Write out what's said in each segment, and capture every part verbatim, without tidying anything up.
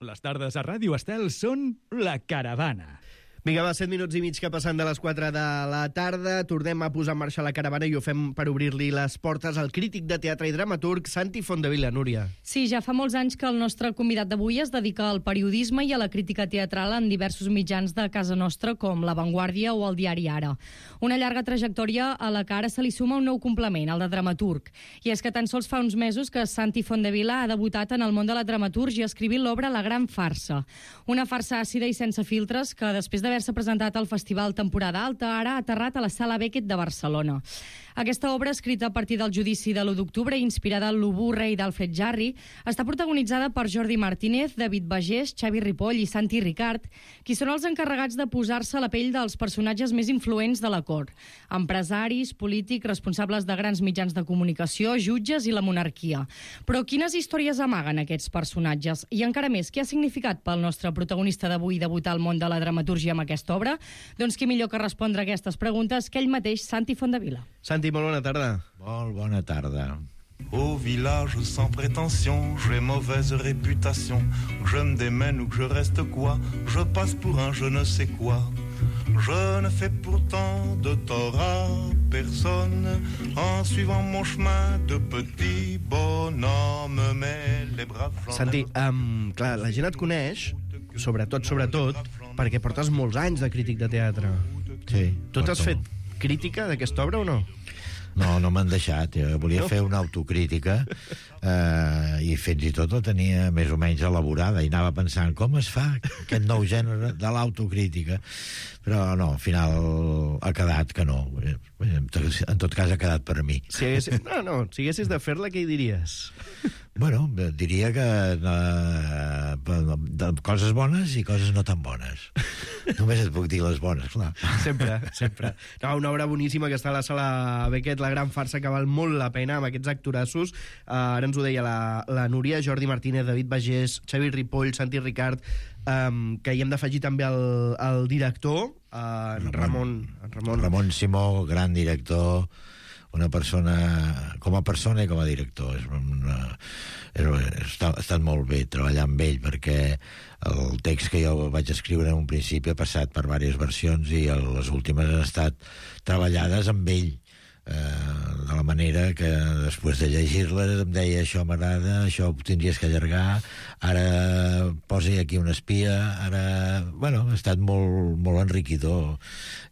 Les tardes a Ràdio Estel són La Caravana. Vinga, va, set minuts i mig que passen de les quatre de la tarda. Tornem a posar en marxa la caravana i ho fem per obrir-li les portes al crític de teatre i dramaturg Santi Fondevila. Núria. Sí, ja fa molts anys que el nostre convidat d'avui es dedica al periodisme i a la crítica teatral en diversos mitjans de casa nostra, com La Vanguardia o el diari Ara. Una llarga trajectòria a la que ara se li suma un nou complement, el de dramaturg. I és que tan sols fa uns mesos que Santi Fondevila ha debutat en el món de la dramatúrgia escrivint l'obra La Gran Farsa. Una farsa àcida i sense filtres que, després d'haver-se presentat al Festival Temporada Alta, ara ha aterrat a la Sala Beckett de Barcelona. Aquesta obra, escrita a partir del judici de l'u d'octubre i inspirada en l'Ubú rei d'Alfred Jarry, està protagonitzada per Jordi Martínez, David Bagés, Xavi Ripoll i Santi Ricart, qui són els encarregats de posar-se a la pell dels personatges més influents de la cort: empresaris, polítics, responsables de grans mitjans de comunicació, jutges i la monarquia. Però quines històries amaguen aquests personatges? I encara més, què ha significat pel nostre protagonista d'avui debutar al món de la dramatúrgia amb aquesta obra? Doncs qui millor que respondre a aquestes preguntes que ell mateix, Santi Fondevila. Santi, molt bona tarda. Molt bona tarda. Au village sans prétention, j'ai mauvaise réputation. Que je me démène ou que je reste quoi, je passe pour un je ne sais quoi. Je ne fais pourtant de tort à personne en suivant mon chemin de petit bonhomme, mais les braves gens... Santi, um, clar, la gent et coneix, sobretot, sobretot, perquè portes molts anys de crític de teatre. Sí. Tu t'has fet crítica d'aquesta obra o no? No, no m'han deixat. Jo volia No? fer una autocrítica eh, i fins i tot la tenia més o menys elaborada i anava pensant com es fa aquest nou gènere de l'autocrítica, però no, al final ha quedat que no. En tot cas ha quedat per mi. Si haguessis, no, no, si haguessis de fer-la, què hi diries? Bueno, diria que eh, de coses bones i coses no tan bones. Només et puc dir les bones, clar. Sempre, sempre. No, una obra boníssima que està a la Sala Beckett, La Gran Farsa, que val molt la pena amb aquests actorassos. Uh, ara ens ho deia la, la Núria, Jordi Martínez, David Bagés, Xavi Ripoll, Santi Ricart, um, que hi hem d'afegir també el, el director, uh, en Ramon, en Ramon. Ramon Simó, gran director, una persona, com a persona i com a director. És una, és, està, ha estat molt bé treballar amb ell, perquè el text que jo vaig escriure en un principi ha passat per diverses versions i les últimes han estat treballades amb ell, eh, de la manera que després de llegir-les em deia això m'agrada, això ho tindries que allargar, ara posi aquí una espia, ara... Bueno, ha estat molt, molt enriquidor.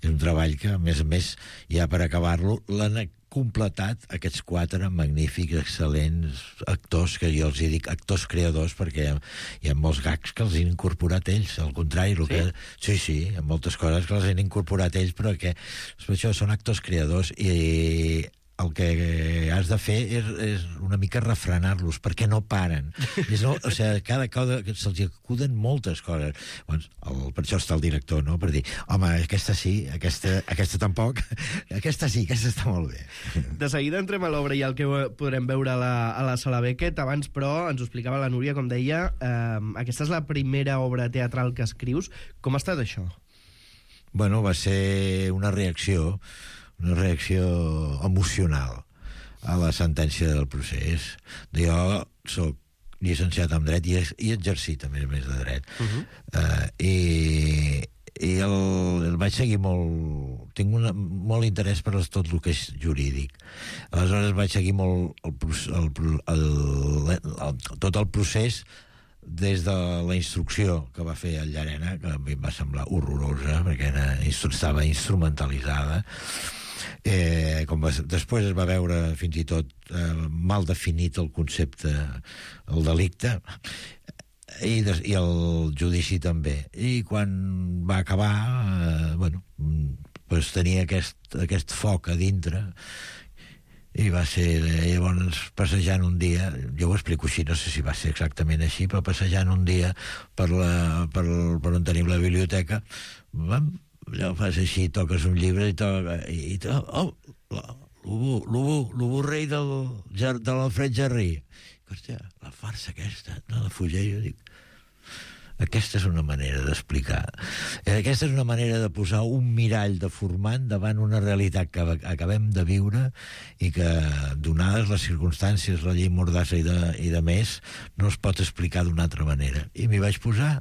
És un treball que, a més a més, ja per acabar-lo, l'han completat aquests quatre magnífics, excel·lents actors, que jo els hi dic actors creadors, perquè hi ha, hi ha molts gags que els han incorporat ells, al contrari, el sí? que, sí, sí, hi ha moltes coses que els han incorporat ells, però que per això són actors creadors, i el que has de fer és, és una mica refrenar-los, perquè no paren. És, no, o sigui, cada cosa se'ls acuden moltes coses. Doncs, el, per això està el director, no? Per dir, home, aquesta sí, aquesta, aquesta tampoc, aquesta sí, aquesta està molt bé. De seguida entrem a l'obra i el que podrem veure a la, a la Sala Beckett. Abans, però, ens ho explicava la Núria, com deia, eh, aquesta és la primera obra teatral que escrius. Com ha estat això? Bueno, va ser una reacció una reacció emocional a la sentència del procés. Jo soc llicenciat en dret i, i exercit a més a més de dret. Uh-huh. uh, i, i el, el vaig seguir molt... Tinc una, molt interès per tot el que és jurídic. Aleshores vaig seguir molt el, el, el, el, el, tot el procés des de la instrucció que va fer el Llarena, que a mi em va semblar horrorosa, perquè era, estava instrumentalitzada. Eh, com va, després es va veure fins i tot eh, mal definit el concepte, el delicte, i, des, i el judici també. I quan va acabar, eh, bueno, pues tenia aquest, aquest foc a dintre, i va ser llavors passejant un dia, jo ho explico així, no sé si va ser exactament així, però passejant un dia per, la, per, per on tenim la biblioteca, vam, allò fas així, toques un llibre i toca, i, i to, oh, l'Ubú, l'Ubú, l'Ubú rei del, de l'Alfred Jarry. Hòstia, la farsa aquesta, no la fugia, jo dic, Aquesta és una manera d'explicar. Aquesta és una manera de posar un mirall de formant davant una realitat que acabem de viure i que, donades les circumstàncies, la llei Mordassa i de, i de més, no es pot explicar d'una altra manera. I m'hi vaig posar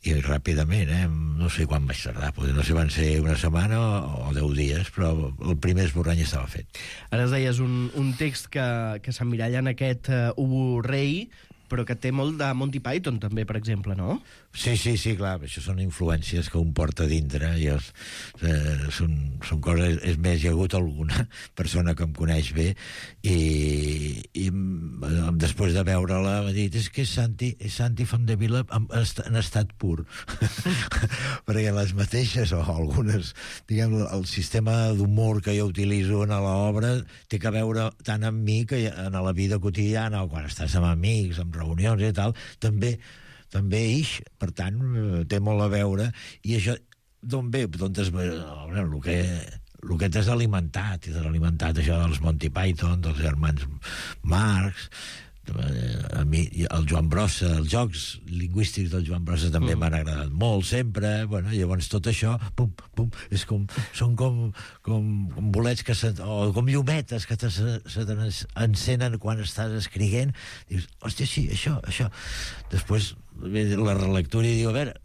i ràpidament, eh? No sé quan vaig tardar, no sé, van ser una setmana o, o deu dies, però el primer esborrany estava fet. Ara es deies un, un text que, que s'emmiralla en aquest uh, Ubu Rei, però que té molt de Monty Python també, per exemple, no? Sí, sí, sí, clar, això són influències que un porta dintre i els, eh, són, són coses, és més, hi ha hagut alguna persona que em coneix bé i, i després de veure-la m'ha dit, és que és Santi, és Santi Fondevila en, en estat pur perquè les mateixes o algunes, diguem, el sistema d'humor que jo utilitzo en l'obra té que veure tant amb mi que en la vida quotidiana o quan estàs amb amics, amb reunions i tal, també també ix, per tant, té molt a veure, i això d'on ve? D'on es ve? El que, el que t'has alimentat, i t'has alimentat això dels Monty Python, dels germans Marx, a mi, el Joan Brossa, els jocs lingüístics del Joan Brossa també mm. m'han agradat molt, sempre, bueno, llavors tot això, pum, pum, és com, són com, com, com bolets que se, o com llumetes que te, se, se t'encenen quan estàs escrivint, dius, hòstia, sí, això, això. Després la relectura i diu, a veure,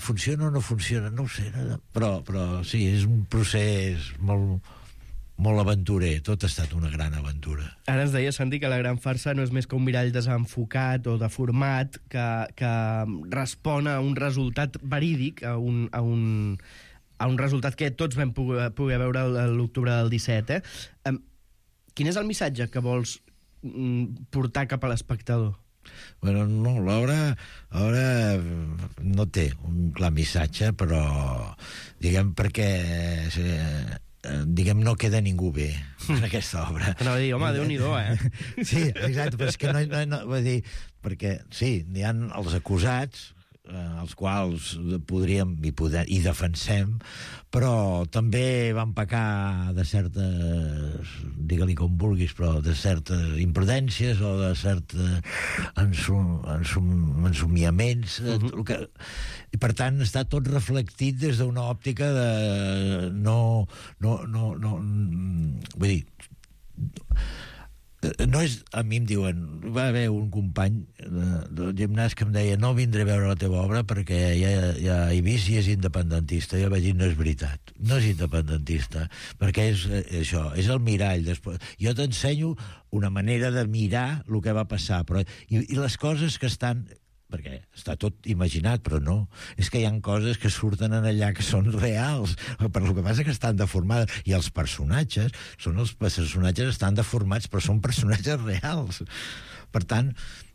funciona o no funciona? No ho sé, però, però sí, és un procés molt, molt aventurer, tot ha estat una gran aventura. Ara ens deia, Santi, que la gran farsa no és més que un mirall desenfocat o deformat que, que respon a un resultat verídic, a un, a un, a un resultat que tots vam poder, poder veure l'octubre del disset. Eh? Um, quin és el missatge que vols mm, portar cap a l'espectador? Bueno, no, l'obra, l'obra no té un clar missatge, però, diguem, perquè, eh, diguem, no queda ningú bé en aquesta obra. Anava a dir, home, Déu-n'hi-do, eh? Sí, exacte, però és que no, no, no vull dir, perquè, sí, hi ha els acusats, eh, els quals podríem i, poder, i defensem, però també van pecar de certes, digue-li com vulguis, però de certes imprudències o de certes ensum, ensum, ensumiaments. Uh-huh. que, I per tant està tot reflectit des d'una òptica de no, no, no, no vull dir, no és, a mi em diuen, va haver un company del gimnàs que em deia, no vindré a veure la teva obra perquè ja, ja he vist i és independentista. Jo vaig dir, no és veritat, no és independentista, perquè és això, és el mirall. Després, jo t'ensenyo una manera de mirar el que va passar, però, i, i les coses que estan, perquè està tot imaginat, però no. És que hi ha coses que surten en allà que són reals, però el que passa que estan deformades. I els personatges, són els personatges estan deformats, però són personatges reals. Per tant,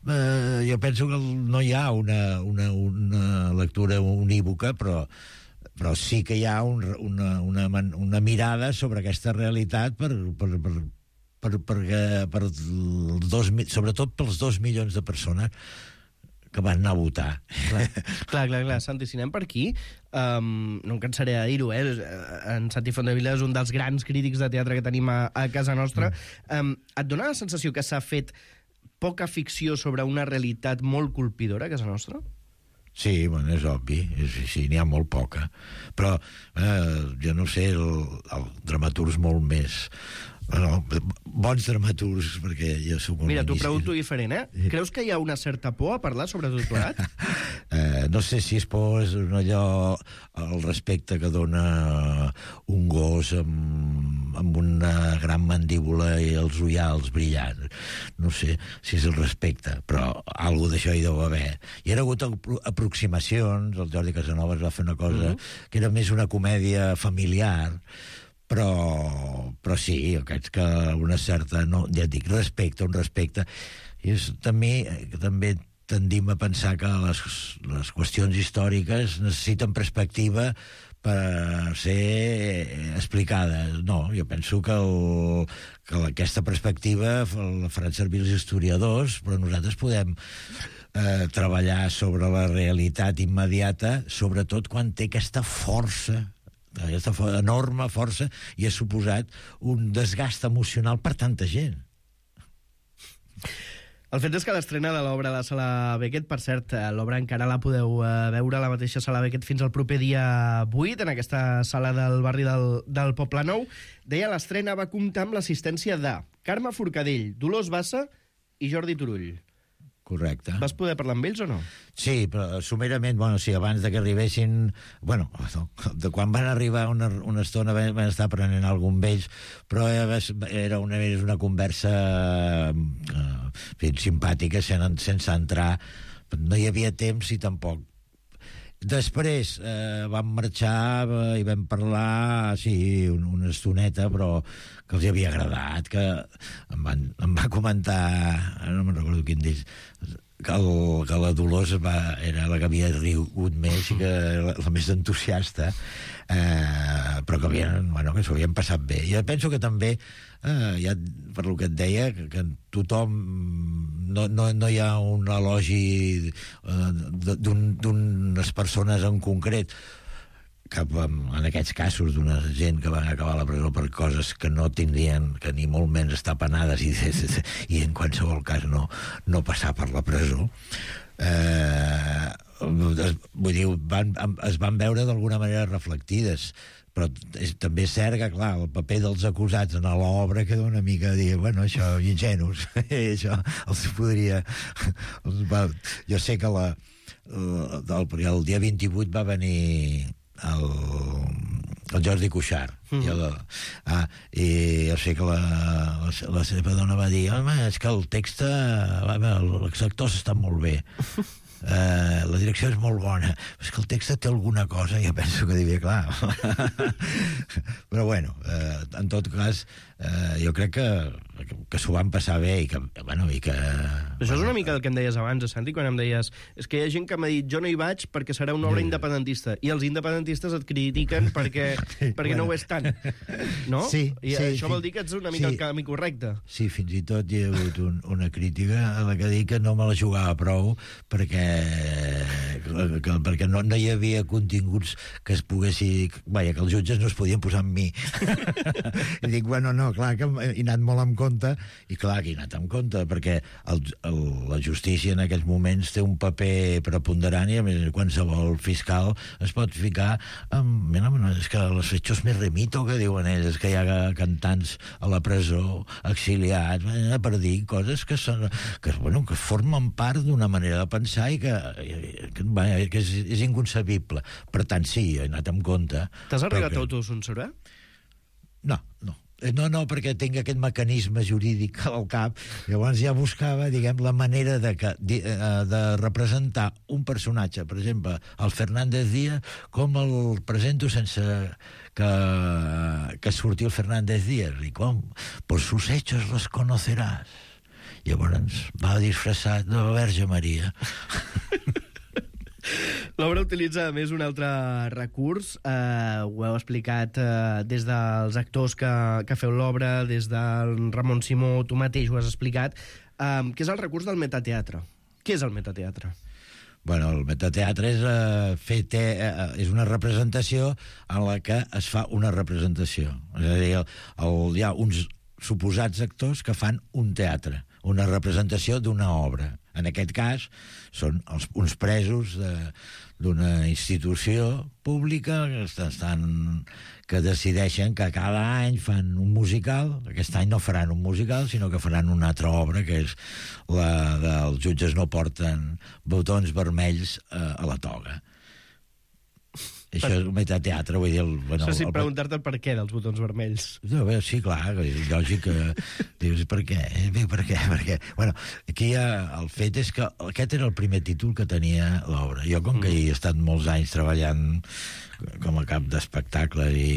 eh, jo penso que no hi ha una, una, una lectura unívoca, però però sí que hi ha un, una, una, una mirada sobre aquesta realitat per, per, per, per, per, per dos, sobretot pels dos milions de persones que van anar a votar. Clar, clar, clar, clar. Santi, si anem per aquí, um, no em cansaré de dir-ho, eh? En Santi Fondevila és un dels grans crítics de teatre que tenim a, a casa nostra. Mm. Um, et dona la sensació que s'ha fet poca ficció sobre una realitat molt colpidora a casa nostra? Sí, bueno, és obvi, és, sí, n'hi ha molt poca. Però, eh, jo no sé, el, el dramaturg molt més... Bueno, bons dramaturgs, perquè jo soc un... Mira, t'ho pregunto diferent, eh? Creus que hi ha una certa por a parlar sobre tot plegat? eh, no sé si és por, és allò, el respecte que dona un gos amb, amb una gran mandíbula i els ullals brillants. No sé si és el respecte, però alguna d'això hi deu haver. Hi ha hagut aproximacions, el Jordi Casanovas va fer una cosa uh-huh. que era més una comèdia familiar, però, però sí, aquests que una certa, no, ja et dic, respecte, un respecte. I és, també, també tendim a pensar que les, les qüestions històriques necessiten perspectiva per ser explicades. No, jo penso que, el, que aquesta perspectiva la faran servir els historiadors, però nosaltres podem eh, treballar sobre la realitat immediata, sobretot quan té aquesta força, aquesta enorme força, i ha suposat un desgast emocional per tanta gent. El fet és que l'estrena de l'obra a la Sala Beckett, per cert, l'obra encara la podeu eh, veure a la mateixa Sala Beckett fins al proper dia vuit, en aquesta sala del barri del, del Poblenou. Deia, l'estrena va comptar amb l'assistència de Carme Forcadell, Dolors Bassa i Jordi Turull. Correcte. Vas poder parlar amb ells o no? Sí, però somerament, bueno, sí, abans de que arribessin... Bueno, de quan van arribar una, una estona van, van estar prenent algun vells, però era una, era una conversa eh, simpàtica, sen, sense entrar. No hi havia temps i tampoc. Després eh, vam marxar eh, i vam parlar, sí, un, una estoneta, però que els havia agradat, que em, van, em va comentar, no me'n recordo quin d'ells, que, el, que la Dolors va, era la que havia rigut més i que la, la més entusiasta, eh, però que, havien, bueno, que s'ho havien passat bé. Jo penso que també, eh, ja per lo que et deia, que, que tothom... No, no, no hi ha un elogi eh, d'unes persones en concret, cap en aquests casos d'una gent que van acabar a la presó per coses que no tindrien, que ni molt menys estar penades i, i en qualsevol cas no, no passar per la presó. Eh, vull dir, van, es van veure d'alguna manera reflectides, però és, també és cert que, clar, el paper dels acusats en l'obra queda una mica dir, bueno, això, ingenus, això els podria... Els va, jo sé que la, el, el dia vint-i-vuit va venir el, el Jordi Cuixart, mm. jo de, ah, i jo sé que la, la, la seva dona va dir, home, és que el text, els actors estan molt bé. Uh, la direcció és molt bona, és que el text té alguna cosa, jo penso que diria, clar. Però bueno, uh, en tot cas, uh, jo crec que, que, que s'ho van passar bé i que, bueno, i que... Això és una mica el que em deies abans, Santi, quan em deies és que hi ha gent que m'ha dit, jo no hi vaig perquè serà una obra independentista, i els independentistes et critiquen perquè, perquè bueno. no ho és tant, no? Sí, I sí, això sí. vol dir que ets una mica sí. el camí correcte. Sí, fins i tot hi ha hagut un, una crítica a la que dic que no me la jugava prou perquè que, perquè no, no hi havia continguts que es poguessi... Vaja, que els jutges no es podien posar amb mi. I dic, bueno, no, clar, que he anat molt en compte, i clar que he anat en compte, perquè el, el, la justícia en aquests moments té un paper preponderant i a més qualsevol fiscal es pot ficar amb... Mira, és que los hechos me remito, que diuen ells, és que hi ha cantants a la presó, exiliats, per dir coses que, són, que, bueno, que formen part d'una manera de pensar i que, que, que és, és inconcebible. Per tant, sí, he anat amb compte. T'has arribat que... a autocensurar? No, no. No, no, perquè tinc aquest mecanisme jurídic al cap. Llavors ja buscava, diguem, la manera de, que, de, de representar un personatge, per exemple, el Fernández Díaz, com el presento sense que, que surti el Fernández Díaz. I com? Por sus hechos los conocerás. Llavors va disfressat de la Verge Maria. L'obra utilitza, a més, un altre recurs. Eh, ho heu explicat eh, des dels actors que, que feu l'obra, des del Ramon Simó, tu mateix ho has explicat, eh, que és el recurs del metateatre. Què és el metateatre? Bueno, el metateatre és, eh, fer te, eh, és una representació en la que es fa una representació. És a dir, el, el, hi ha uns suposats actors que fan un teatre, una representació d'una obra. En aquest cas, són els, uns presos d'una institució pública que, estan, que decideixen que cada any fan un musical. Aquest any no faran un musical, sinó que faran una altra obra, que és la dels jutges no porten botons vermells eh, a la toga. Això és un metateatre, vull dir... El, bueno, Això sí, el, preguntar-te el per què dels botons vermells. No, bé, sí, clar, és lògic que... Dius, per què? Bé, per què? Per què? Bueno, aquí hi ha... El fet és que aquest era el primer títol que tenia l'obra. Jo, com que hi he estat molts anys treballant com a cap d'espectacle i...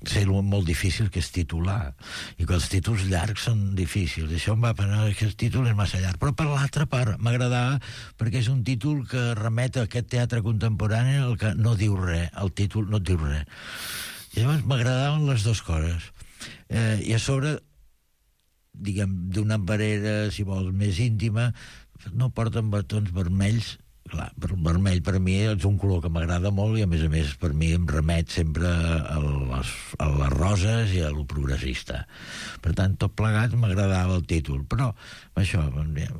sé molt difícil que és titular, i que els títols llargs són difícils. Això em va pensar que el títol és massa llarg, però per l'altra part m'agradava perquè és un títol que remet a aquest teatre contemporani el que no diu res, el títol no diu res. I llavors m'agradaven les dues coses. Eh, I a sobre, diguem, d'una manera, si vols, més íntima, no porten botons vermells clar, el vermell per mi és un color que m'agrada molt i a més a més per mi em remet sempre a les, a les roses i a lo progressista. Per tant, tot plegat m'agradava el títol, però això,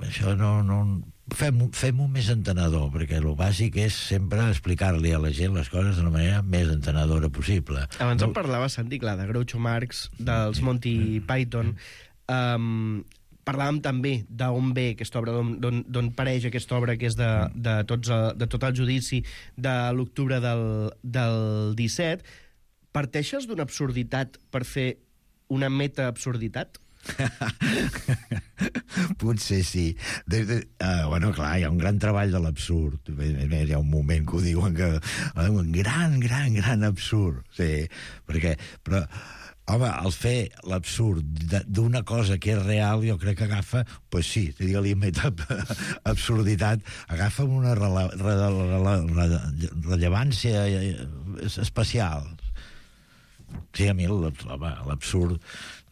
això no... no fem-ho fem més entenedor, perquè el bàsic és sempre explicar-li a la gent les coses d'una manera més entenedora possible. Abans no... em parlava, Santi, clar, de Groucho Marx, dels Monty Python. Um, parlàvem també d'on ve aquesta obra, d'on pareix aquesta obra, que és de, de, tots, de tot el judici de l'octubre del, del disset. Parteixes d'una absurditat per fer una meta-absurditat? Potser sí. De, de, uh, bueno, clar, hi ha un gran treball de l'absurd. Hi ha un moment que ho diuen que... Un gran, gran, gran absurd. Sí, perquè... Però, home, el fer l'absurd d'una cosa que és real, jo crec que agafa, pues sí, digue-li meta absurditat, agafa una rele, rele, rele, rele, rellevància especial. Sí, a mi l'absurd,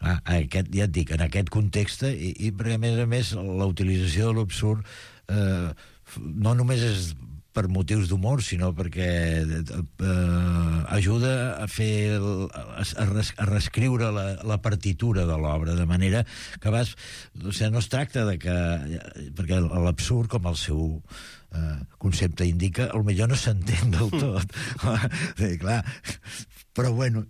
ah, aquest, ja et dic, en aquest context, i, i perquè a més a més la utilització de l'absurd eh, no només és per motius d'humor, sinó perquè eh, ajuda a fer a, res, a reescriure la, la partitura de l'obra, de manera que vas... O sigui, no es tracta de que... Perquè l'absurd, com el seu eh, concepte indica, potser no s'entén del tot. Sí, clar, però bueno,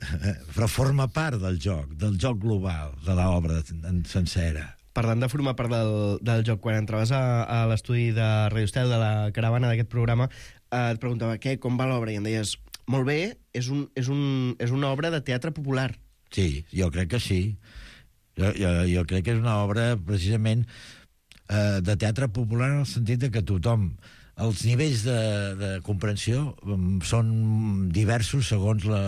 però forma part del joc, del joc global, de l'obra sencera. Parlant de formar part del, del joc, quan entraves a, a l'estudi de Radio Estel, de la caravana d'aquest programa, eh, et preguntava què, com va l'obra, i em deies, molt bé, és, un, és, un, és una obra de teatre popular. Sí, jo crec que sí. Jo, jo, jo crec que és una obra, precisament, eh, de teatre popular en el sentit de que tothom... Els nivells de, de comprensió són diversos segons la,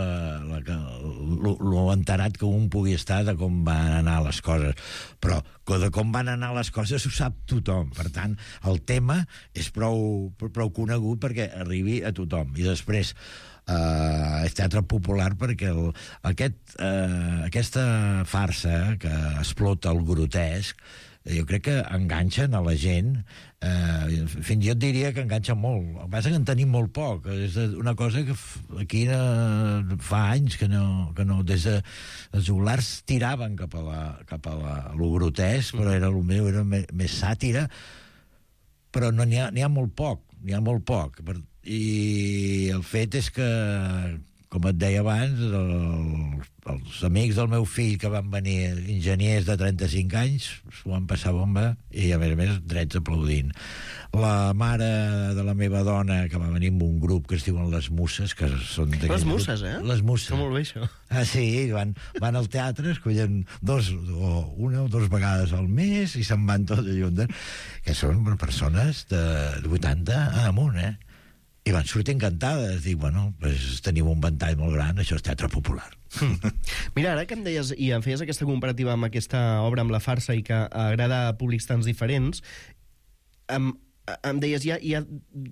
la, lo, lo enterat que un pugui estar de com van anar les coses. Però de com van anar les coses ho sap tothom. Per tant, el tema és prou, prou conegut perquè arribi a tothom. I després, eh, és teatre popular perquè el, aquest, eh, aquesta farsa que explota el grotesc, jo crec que enganxen a la gent, eh, fins jo et diria que enganxen molt. El que passa que en tenim molt poc. És una cosa que aquí eh, fa anys que no, que no des de els joglars tiraven cap a la, cap a la, a lo grotesc, però era el meu, era més, més sàtira, però no n'hi ha, n'hi ha molt poc, n'hi ha molt poc. I el fet és que, com et deia abans, el, els amics del meu fill que van venir, enginyers de trenta-cinc anys, s'ho van passar bomba i, a més a més, drets aplaudint. La mare de la meva dona, que va venir amb un grup que es diuen Les Musses, que són... Les Musses, eh? Les Musses. Està molt bé, això. Ah, sí, van, van al teatre, escollen dos, o una o dues vegades al mes i se'n van tots juntes, que són persones de vuitanta amunt, eh? I van sortir encantades. Dic, bueno, pues, tenim un ventall molt gran, això és teatre popular. Mira, ara que em deies, i em feies aquesta comparativa amb aquesta obra, amb la farsa, i que agrada a públics tants diferents, em, em deies, hi ha, hi ha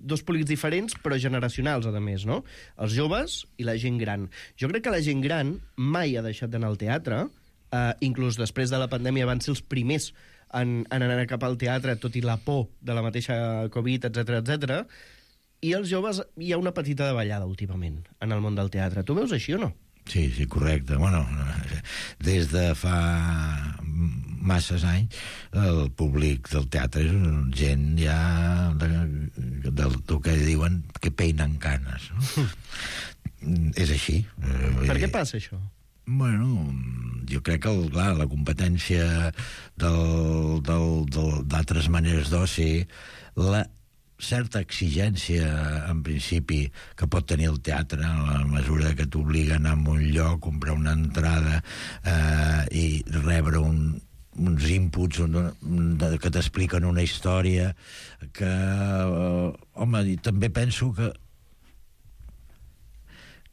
dos públics diferents, però generacionals, a més, no? Els joves i la gent gran. Jo crec que la gent gran mai ha deixat d'anar al teatre, eh, inclús després de la pandèmia van ser els primers en, en anar cap al teatre, tot i la por de la mateixa Covid, etcètera, etcètera. I els joves, hi ha una petita davallada últimament en el món del teatre. Tu veus així o no? Sí, sí, correcte. Bueno, des de fa masses anys el públic del teatre és gent ja de, de, del que diuen que peinen canes, no? És així. Per què passa això? Bueno, jo crec que, el, clar, la competència del, del, del, d'altres maneres d'oci, la certa exigència, en principi, que pot tenir el teatre, a la mesura que t'obliga a anar a un lloc, comprar una entrada eh, i rebre un, uns inputs que t'expliquen una història que, eh, home, i també penso que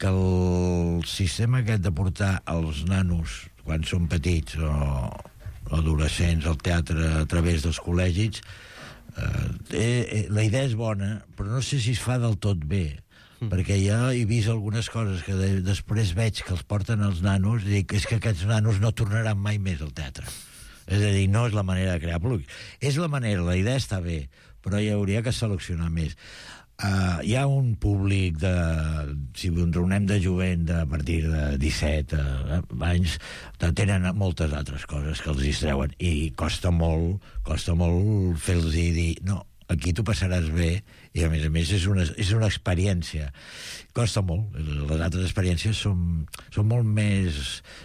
que el sistema aquest de portar els nanos quan són petits o adolescents al teatre a través dels col·legis, Uh, eh, la idea és bona, però no sé si es fa del tot bé, mm. perquè ja he vist algunes coses que de, després veig que els porten els nanos i dic, és que aquests nanos no tornaran mai més al teatre. És a dir, no és la manera de crear públic. És la manera, la idea està bé, però hi hauria que seleccionar més. Uh, hi ha un públic de, si ens reunem de jovent de a partir de disset uh, anys, tenen moltes altres coses que els distreuen i costa molt, costa molt fer-los dir, no, aquí t'ho passaràs bé, i a més a més és una, és una experiència. Costa molt. Les altres experiències són, són molt més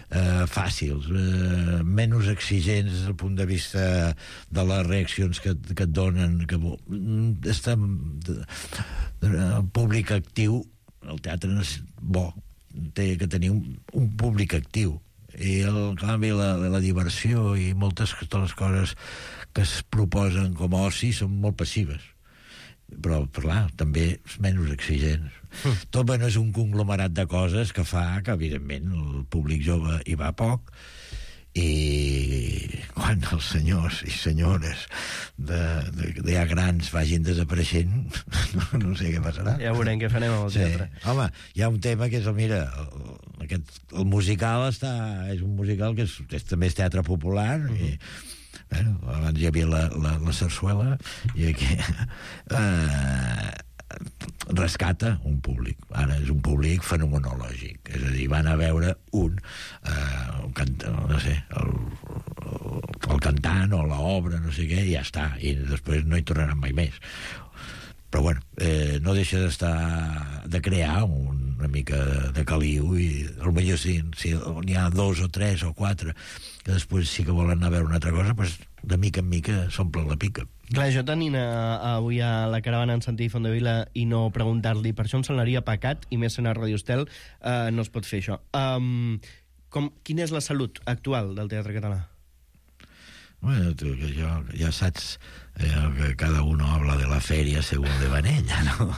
eh, fàcils, eh, menys exigents des del punt de vista de les reaccions que, que et donen. Que, està, el públic actiu, el teatre és bo, té que tenir un, un públic actiu. I el canvi, la, la diversió i moltes de les coses que es proposen com a oci són molt passives, però, clar, també és menys exigents. Mm. Tot, bueno, és un conglomerat de coses que fa que, evidentment, el públic jove hi va poc, i quan els senyors i senyores de, de, de ja grans vagin desapareixent, no, no sé què passarà. Ja veurem què farem amb el sí. teatre. Home, hi ha un tema que és, mira, el, aquest, el musical està, és un musical que és, és, també és teatre popular, mm-hmm. i bueno, abans hi havia la, la, la sarsuela i aquí eh, rescata un públic. Ara és un públic fenomenològic, és a dir, van a veure un, eh, un cant, no sé, el, el, el cantant o l'obra, no sé què, i ja està, i després no hi tornaran mai més. Però bueno, eh, no deixa d'estar, de crear un, una mica de, de caliu, i potser si, si n'hi ha dos o tres o quatre que després sí que volen anar a veure una altra cosa, doncs de mica en mica s'omple la pica. Clar, jo tenint a, a, avui a la caravana en Santi Fondevila i no preguntar-li, per això em semblaria pecat, i més en a Radio Estel, eh, no es pot fer això. Um, com, quina és la salut actual del teatre català? Bueno, tu, que jo, ja saps eh, que cada uno habla de la feria según de van ella, no?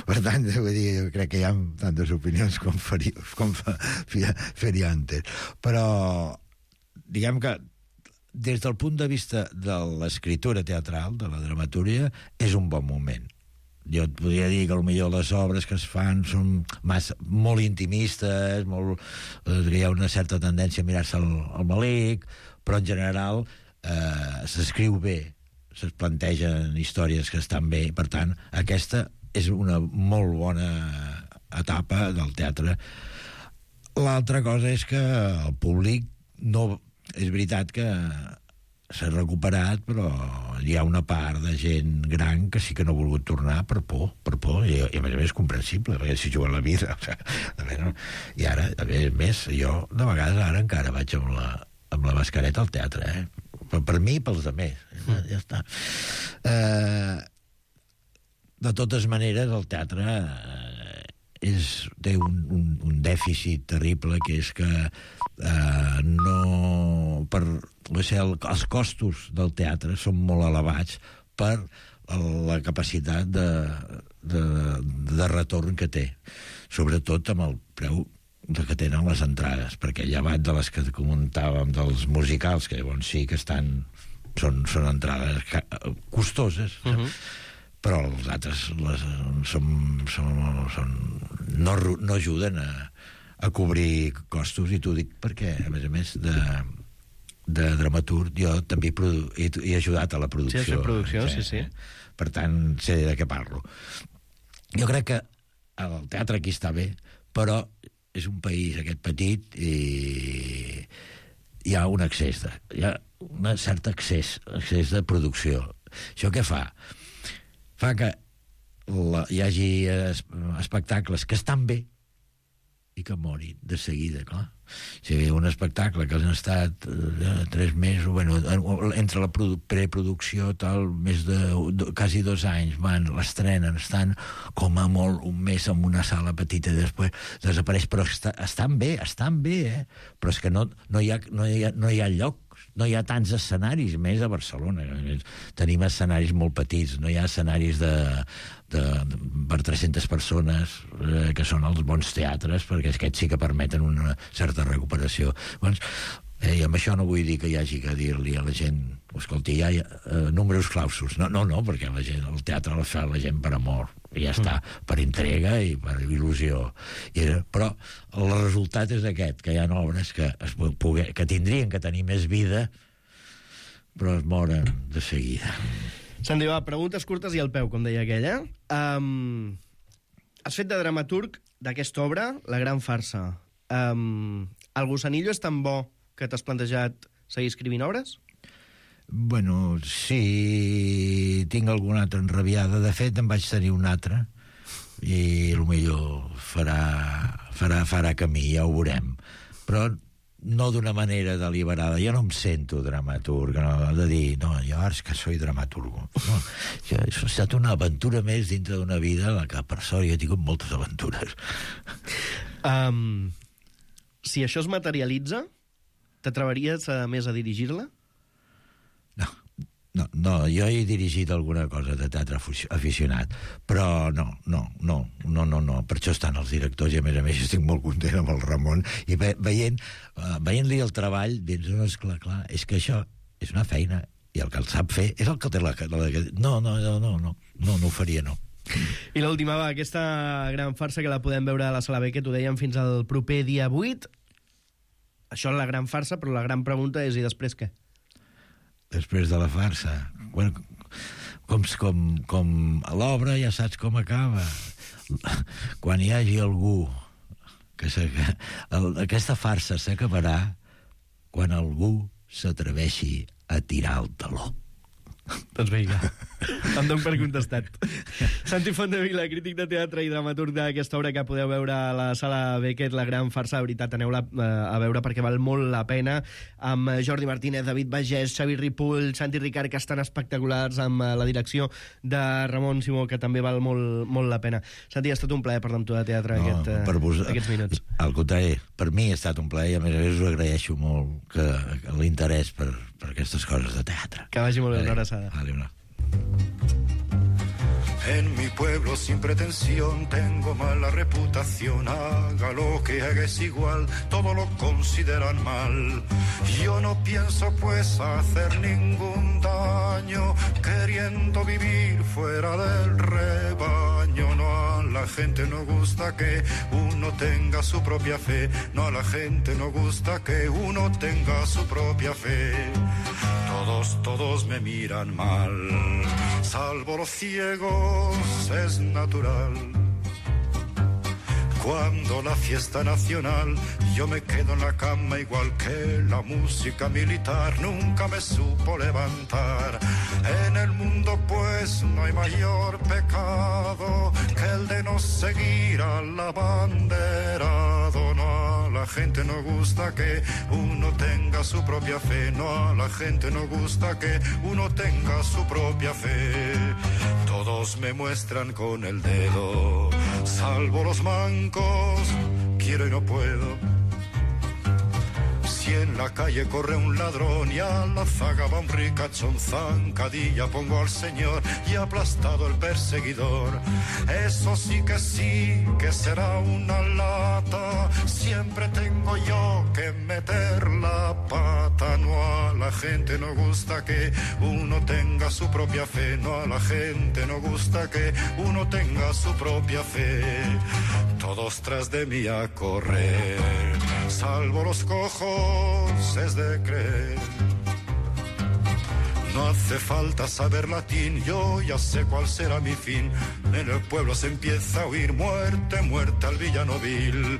Per tant, vull dir, jo crec que hi ha tantes opinions com, feri, com feriantes. Però, diguem que des del punt de vista de l'escriptura teatral, de la dramatúrgia, és un bon moment. Jo et podria dir que potser les obres que es fan són massa, molt intimistes, molt, eh, hi ha una certa tendència a mirar-se el, el malic, però en general eh, s'escriu bé, es plantegen històries que estan bé, per tant, aquesta és una molt bona etapa del teatre. L'altra cosa és que el públic no... És veritat que s'ha recuperat, però hi ha una part de gent gran que sí que no ha volgut tornar per por, per por, i, i a més a més és comprensible, perquè si juguen la vida, o sigui, a veure, no? I ara, a més, jo de vegades ara encara vaig amb la, amb la mascareta al teatre, eh? Per, per mi i pels altres, ja, ja està. Eh, de totes maneres, el teatre eh, és, té un, un, un dèficit terrible, que és que eh, no... Per, sé, el, els costos del teatre són molt elevats per la capacitat de, de, de retorn que té, sobretot amb el preu que tenen les entrades, perquè llevat de les que comentàvem dels musicals, que llavors sí que estan són, són entrades costoses, uh-huh. però els altres les, són, són, són, no, no ajuden a, a cobrir costos, i t'ho dic perquè, a més a més de, de dramaturg, jo també produ- he, he ajudat a la producció. Sí, a fer producció, sí, sí. Per tant, sé de què parlo. Jo crec que el teatre aquí està bé, però és un país aquest petit i hi ha un excés de, hi ha un cert excés, excés de producció. Això què fa? Fa que la, hi hagi es, espectacles que estan bé i que morin de seguida, clar. Si hi ha un espectacle que han estat eh, tres mesos, bueno, entre la preproducció tal, més de, de quasi dos anys, van, l'estrenen, estan com a molt un mes en una sala petita i després desapareix, però està, estan bé, estan bé, eh? Però és que no, no, hi ha, no, hi ha, no hi ha lloc, no hi ha tants escenaris, més a Barcelona. Tenim escenaris molt petits, no hi ha escenaris de, de, de per tres-centes persones, eh, que són els bons teatres, perquè aquests sí que permeten una certa recuperació. Llavors, eh, i amb això no vull dir que hi hagi que dir-li a la gent, escolti, hi ha eh, números clausos. No, no, no, perquè la gent, el teatre el fa la gent per amor, i ja està, mm. per entrega i per il·lusió. I, però el resultat és aquest, que hi ha obres que, es poder, que tindrien que tenir més vida, però es moren de seguida. Santi, va, preguntes curtes i al peu, com deia aquell, eh? Um, has fet de dramaturg d'aquesta obra, La gran farsa. Um, el Gusanillo és tan bo que t'has plantejat seguir escrivint obres? Bueno, sí, tinc alguna altra enrabiada. De fet, en vaig tenir una altra i potser farà, farà, farà camí, ja ho veurem. Però no d'una manera deliberada. Jo no em sento dramaturg, no, de dir, no, jo ara és que soy dramaturgo. No, jo, això ha estat una aventura més dintre d'una vida en la que, per sort, jo he tingut moltes aventures. Um, si això es materialitza, t'atreveries a més a dirigir-la? No, no, no, jo he dirigit alguna cosa de teatre aficionat, però no, no, no, no, no, no. Per això estan els directors i, a més a més, estic molt content amb el Ramon i ve, veient, uh, veient-li el treball, dius, no, esclar, clar, és que això és una feina i el que el sap fer és el que té la... la no, no, no, no, no, no, no ho faria, no. I l'última, va, aquesta gran farsa que la podem veure a la Sala Beckett, ho dèiem fins al proper dia vuit. Això és la gran farsa, però la gran pregunta és, i després què? Després de la farsa. Bueno, com, com, com a l'obra ja saps com acaba. Quan hi hagi algú que, que el, aquesta farsa s'acabarà quan algú s'atreveixi a tirar el taló. Doncs vinga, em dono per contestat. Santi Fontdevila, crític de teatre i dramaturg d'aquesta obra que podeu veure a la Sala Beckett, La gran farsa. De veritat, aneu-la a veure perquè val molt la pena, amb Jordi Martínez, David Bagés, Xavi Ripoll, Santi Ricard, que estan espectaculars, amb la direcció de Ramon Simó, que també val molt, molt la pena. Santi, ha estat un plaer parlar amb tu de teatre no, aquest, per vos, aquests minuts. Al contrari, per mi ha estat un plaer i a més a més us agraeixo molt que, que l'interès per, per aquestes coses de teatre. Que vagi molt bé, una abraçada. Vale, una. En mi pueblo sin pretensión tengo mala reputación. Haga lo que haga es igual, todo lo consideran mal. Yo no pienso pues hacer ningún daño, queriendo vivir fuera del rebaño. No, a la gente no gusta que uno tenga su propia fe. No, a la gente no gusta que uno tenga su propia fe. Todos, todos me miran mal, salvo los ciegos, es natural. Cuando la fiesta nacional, yo me quedo en la cama igual que la música militar nunca me supo levantar. En el mundo pues no hay mayor pecado que el de no seguir al abanderado. No, a la gente no gusta que uno tenga su propia fe. No, a la gente no gusta que uno tenga su propia fe. Todos me muestran con el dedo, salvo los mancos, quiero y no puedo. Si en la calle corre un ladrón y a la zaga va un ricachón, zancadilla pongo al señor y aplastado el perseguidor. Eso sí que sí, que será una lata, siempre tengo yo que meter la pata. No, a la gente no gusta que uno tenga su propia fe. No, a la gente no gusta que uno tenga su propia fe. Todos tras de mí a correr, salvo los cojos, es de creer. No hace falta saber latín, yo ya sé cuál será mi fin. En el pueblo se empieza a oír muerte, muerte al villano vil.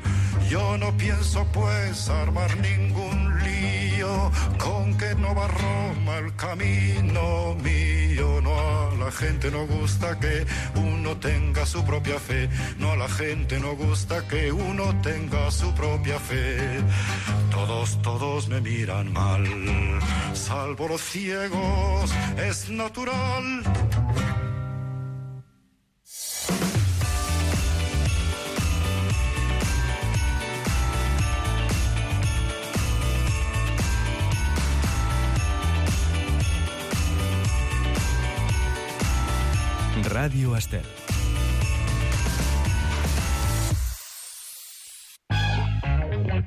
Yo no pienso pues armar ningún lío, con que no va Roma el camino mío. No, a la gente no gusta que uno tenga su propia fe. No, a la gente no gusta que uno tenga su propia fe. Todos, todos me miran mal, salvo los ciegos, es natural. Ràdio Estel.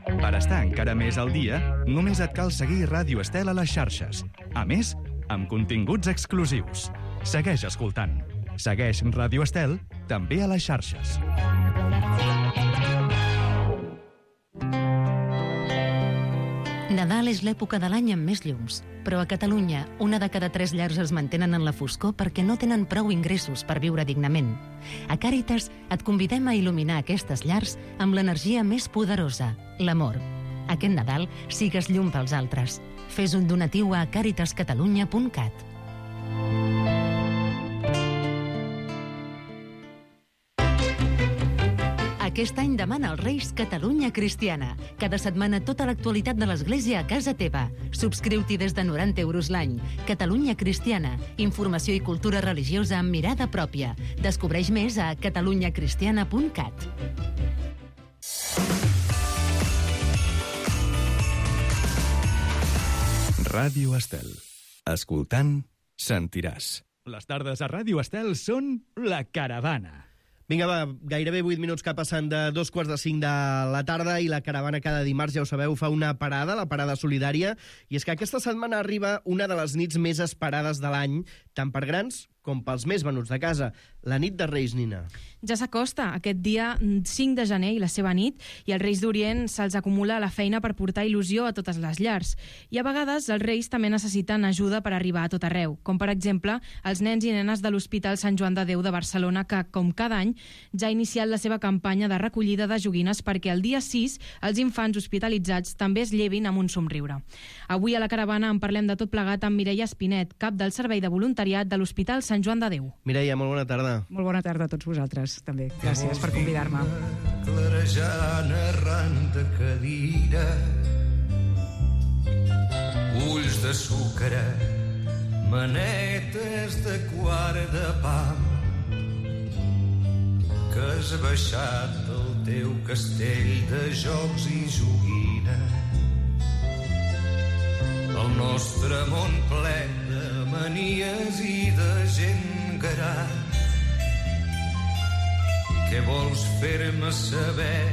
Per estar encara més al dia, només et cal seguir Ràdio Estel a les xarxes. A més, amb continguts exclusius. Segueix escoltant. Segueix Ràdio Estel també a les xarxes. De Nadal és l'època de l'any amb més llums, però a Catalunya una de cada tres llars es mantenen en la foscor perquè no tenen prou ingressos per viure dignament. A Càritas et convidem a il·luminar aquestes llars amb l'energia més poderosa, l'amor. Aquest Nadal sigues llum pels altres. Fes un donatiu a càritas catalunya punt cat. Aquest any demana als Reis Catalunya Cristiana. Cada setmana tota l'actualitat de l'Església a casa teva. Subscriu-t'hi des de noranta euros l'any. Catalunya Cristiana. Informació i cultura religiosa amb mirada pròpia. Descobreix més a catalunya cristiana punt cat. Ràdio Estel. Escoltant, sentiràs. Les tardes a Ràdio Estel són La Caravana. Vinga, va, gairebé vuit minuts que passen de dos quarts de cinc de la tarda i la Caravana cada dimarts, ja ho sabeu, fa una parada, la parada solidària, i és que aquesta setmana arriba una de les nits més esperades de l'any, tant per grans com pels més venuts de casa, la nit de Reis, Nina. Ja s'acosta aquest dia cinc de gener i la seva nit, i als Reis d'Orient se'ls acumula la feina per portar il·lusió a totes les llars. I a vegades els Reis també necessiten ajuda per arribar a tot arreu, com per exemple els nens i nenes de l'Hospital Sant Joan de Déu de Barcelona, que, com cada any, ja ha iniciat la seva campanya de recollida de joguines perquè el dia sis els infants hospitalitzats també es llevin amb un somriure. Avui a la Caravana en parlem de tot plegat amb Mireia Espinet, cap del Servei de Voluntariat de l'Hospital Sant Joan de Déu. Mireia, molt bona tarda. Molt bona tarda a tots vosaltres, també. Gràcies per convidar-me. Clarejant arran de cadira, ulls de sucre, manetes de quart de pa, que has baixat del teu castell de jocs i joguina. El nostre món ple de manies i de gent gran. Què vols fer-me saber,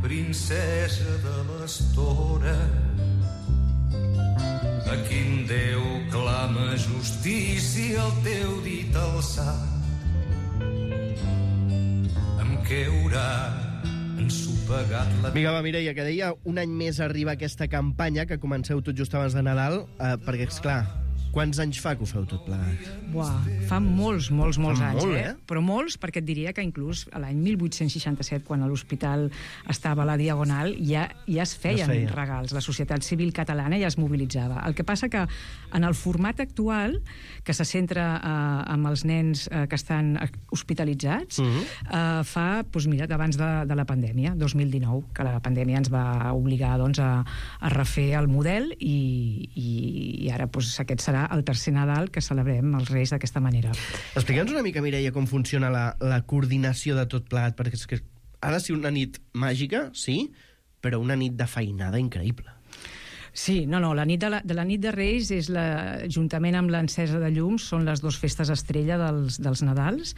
princesa de l'estora? A quin Déu clama justícia el teu dit alçat? Amb què haurà ensopegat la... Vinga, va, Mireia, que deia un any més arriba aquesta campanya, que comenceu tot just abans de Nadal, eh, perquè, esclar, quants anys fa que ho feu tot plegat? Buah, fa molts, molts, molts Fa anys, molt, eh? eh? Però molts, perquè et diria que inclús a l'any mil vuit-cents seixanta-set, quan a l'hospital estava a la Diagonal, ja, ja es feien es feia. regals. La societat civil catalana ja es mobilitzava. El que passa que en el format actual, que se centra eh, amb els nens eh, que estan hospitalitzats, uh -huh. eh, fa, doncs mira, d'abans de, de la pandèmia, dos mil dinou, que la pandèmia ens va obligar doncs, a, a refer el model i, i, i ara doncs, aquest serà el tercer Nadal que celebrem els Reis d'aquesta manera. Explica'ns una mica, Mireia, com funciona la, la coordinació de tot plegat, perquè és que ha de ser una nit màgica, sí, però una nit de feinada increïble. Sí, no, no, la nit de la, de la nit de Reis és la, juntament amb l'encesa de llums, són les dues festes estrella dels, dels Nadals.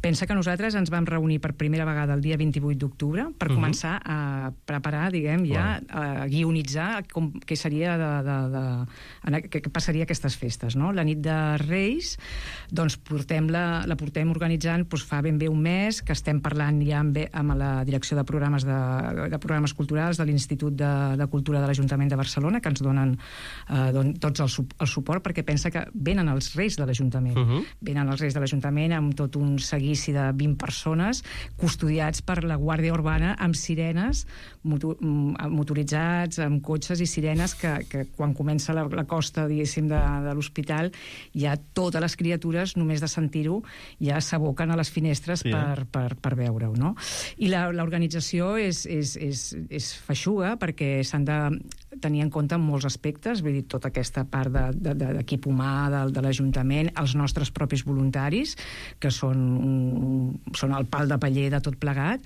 Pensa que nosaltres ens vam reunir per primera vegada el dia vint-i-vuit d'octubre per uh -huh. començar a preparar, diguem, ja, a guionitzar com, què seria de, de, de, què passaria aquestes festes, no? La nit de Reis, doncs portem la, la portem organitzant doncs, fa ben bé un mes, que estem parlant ja amb, amb la direcció de programes, de, de programes culturals de l'Institut de, de Cultura de l'Ajuntament de Barcelona, que ens donen eh, don, tots el, el suport, perquè pensa que venen els Reis de l'Ajuntament. Uh -huh. Venen els Reis de l'Ajuntament amb tot un seguici de vint persones custodiats per la Guàrdia Urbana amb sirenes, motor, motoritzats, amb cotxes i sirenes que, que quan comença la, la costa, diguéssim, de, de l'hospital, ja totes les criatures, només de sentir-ho, ja s'aboquen a les finestres sí, per, eh? per, per veure-ho, no? I l'organització és, és, és, és feixuga, perquè s'han de tenir en compte en molts aspectes, vull dir, tota aquesta part d'equip de, de, humà de, de l'Ajuntament, els nostres propis voluntaris, que són, un, són el pal de paller de tot plegat,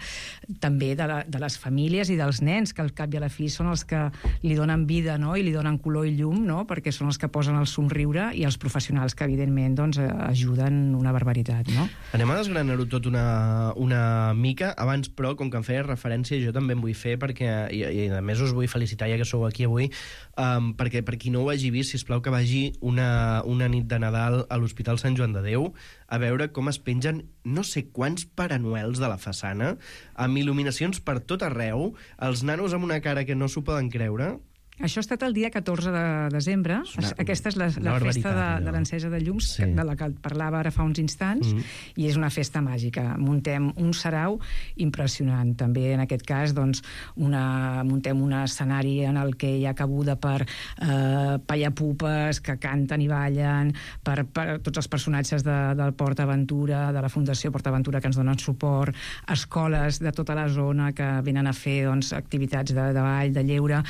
també de, la, de les famílies i dels nens, que al cap i a la fi són els que li donen vida, no?, i li donen color i llum, no?, perquè són els que posen el somriure, i els professionals que, evidentment, doncs, ajuden una barbaritat, no? Anem a desgranar-ho tot una, una mica. Abans, però, com que em feia referència, jo també em vull fer, perquè, i, i a més us vull felicitar, ja que sou aquí avui, um, perquè per qui no ho hagi vist, sisplau que vagi una, una nit de Nadal a l'Hospital Sant Joan de Déu a veure com es pengen no sé quants Parenuels de la façana, amb il·luminacions per tot arreu, els nanos amb una cara que no s'ho poden creure, Això ha estat el dia catorze de desembre. Una, Aquesta és la, la festa de, de l'encesa de llums, sí. de la que parlava ara fa uns instants, mm. i és una festa màgica. Muntem un sarau impressionant. També, en aquest cas, doncs, una, muntem un escenari en el que hi ha cabuda per eh, pallapupes que canten i ballen, per, per tots els personatges de, del Port Aventura, de la Fundació Port Aventura, que ens donen suport, escoles de tota la zona que venen a fer, doncs, activitats de, de ball, de lleure,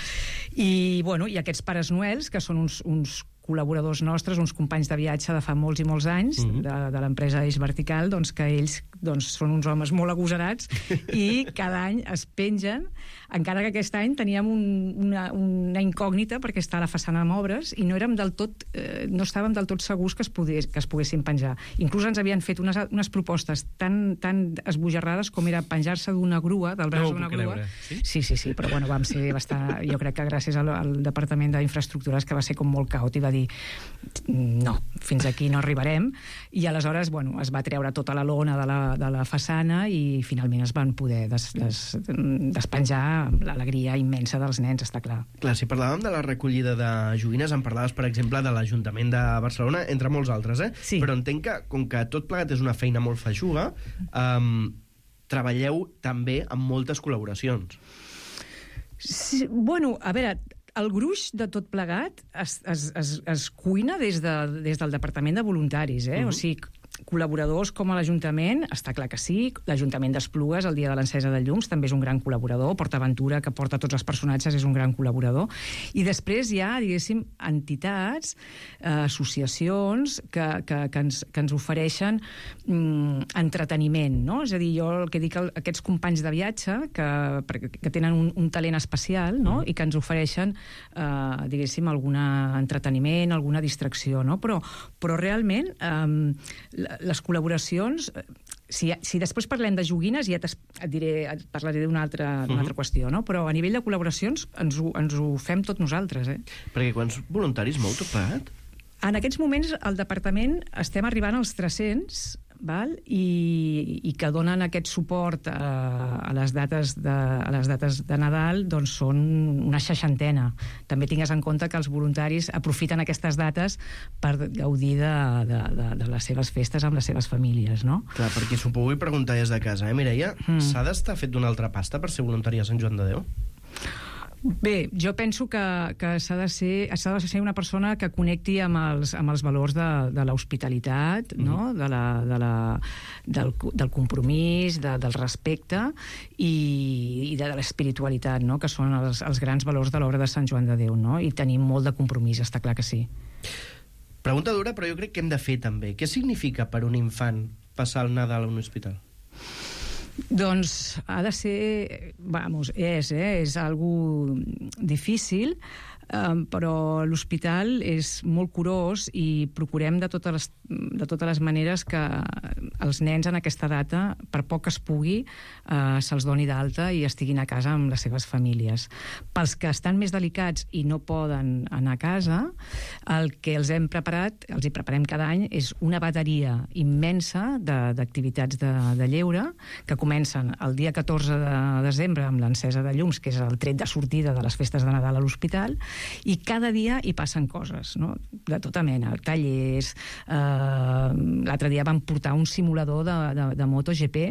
i I, bueno, i aquests pares noels, que són uns, uns col·laboradors nostres, uns companys de viatge de fa molts i molts anys, mm-hmm. de, de l'empresa Eix Vertical, doncs que ells doncs, són uns homes molt agosarats i cada any es pengen, encara que aquest any teníem un, una, una incògnita perquè està a la façana amb obres i no érem del tot, eh, no estàvem del tot segurs que es, pogués, que es poguessin penjar. Inclús ens havien fet unes, unes propostes tan, tan esbojarrades com era penjar-se d'una grua, del braç no d'una grua. Sí? sí, sí, sí, però bueno, vam ser bastant... Jo crec que gràcies al, al Departament d'Infraestructures, que va ser com molt caòtic, va dir no, fins aquí no arribarem, i aleshores, bueno, es va treure tota la lona de la, de la façana i finalment es van poder des, des, despenjar amb l'alegria immensa dels nens, està clar. Clar, si parlàvem de la recollida de joguines, en parlaves, per exemple, de l'Ajuntament de Barcelona, entre molts altres, eh? Sí. Però entenc que, com que tot plegat és una feina molt feixuga, um, treballeu també amb moltes col·laboracions. Sí, bueno, a veure, el gruix de tot plegat es, es, es, es cuina des, de, des del Departament de Voluntaris, eh? Uh-huh. O sigui, col·laboradors com a l'Ajuntament, està clar que sí, l'Ajuntament d'Esplugues, el dia de l'encesa de llums, també és un gran col·laborador, Port Aventura, que porta tots els personatges, és un gran col·laborador, i després hi ha, diguéssim, entitats, eh, associacions que, que, que, ens, que ens ofereixen mm, entreteniment, no? És a dir, jo el que dic, el, aquests companys de viatge que, que tenen un, un talent especial, no? I que ens ofereixen, eh, diguéssim, algun entreteniment, alguna distracció, no? Però, però realment, eh, les col·laboracions, si, si després parlem de joguines, ja et diré, et parlaré d'una altra, d'una altra qüestió, no? Però a nivell de col·laboracions ens ho, ens ho fem tot nosaltres, eh? Perquè quants voluntaris mou tot plegat? En aquests moments, al departament estem arribant als tres-cents, val? I, i que donen aquest suport a, a, les dates de, a les dates de Nadal, doncs són una seixantena. També tingues en compte que els voluntaris aprofiten aquestes dates per gaudir de, de, de, de les seves festes amb les seves famílies, no? Clar, perquè s'ho pugui preguntar des de casa, eh, Mireia? Mm. S'ha d'estar fet d'una altra pasta per ser voluntari a Sant Joan de Déu? Bé, jo penso que, que s'ha de ser, s'ha de ser una persona que connecti amb els, amb els valors de, de l'hospitalitat, mm-hmm. no? de la, de la, del, del compromís, de, del respecte i, i de, de l'espiritualitat, no? Que són els, els grans valors de l'obra de Sant Joan de Déu, no? I tenim molt de compromís, està clar que sí. Pregunta dura, però jo crec que hem de fer també. Què significa per un infant passar el Nadal a un hospital? Doncs ha de ser, vamos, és, eh, és algo difícil, eh, però l'hospital és molt curós i procurem de totes les, de totes les maneres que els nens en aquesta data, per poc que es pugui, eh, se'ls doni d'alta i estiguin a casa amb les seves famílies. Pels que estan més delicats i no poden anar a casa, el que els hem preparat, els hi preparem cada any, és una bateria immensa d'activitats de, de, de lleure que comencen el dia catorze de desembre amb l'encesa de llums, que és el tret de sortida de les festes de Nadal a l'hospital, i cada dia hi passen coses, no? De tota mena, tallers. Eh, l'altre dia vam portar un simulador de, de, de MotoGP